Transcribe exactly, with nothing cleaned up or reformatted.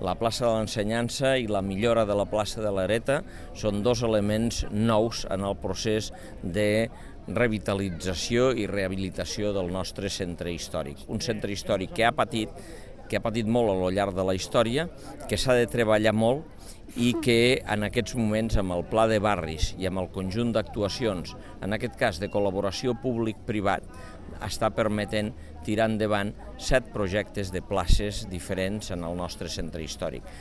La plaça de l'Ensenyança i la millora de la plaça de l'Areta són dos elements nous en el procés de revitalització i rehabilitació del nostre centre històric. Un centre històric que ha patit, que ha patit molt a lo llarg de la història, que s'ha de treballar molt i que en aquests moments amb el pla de barris i amb el conjunt d'actuacions, en aquest cas de col·laboració públic-privat, està permetent tirar endavant set projectes de places diferents en el nostre centre històric.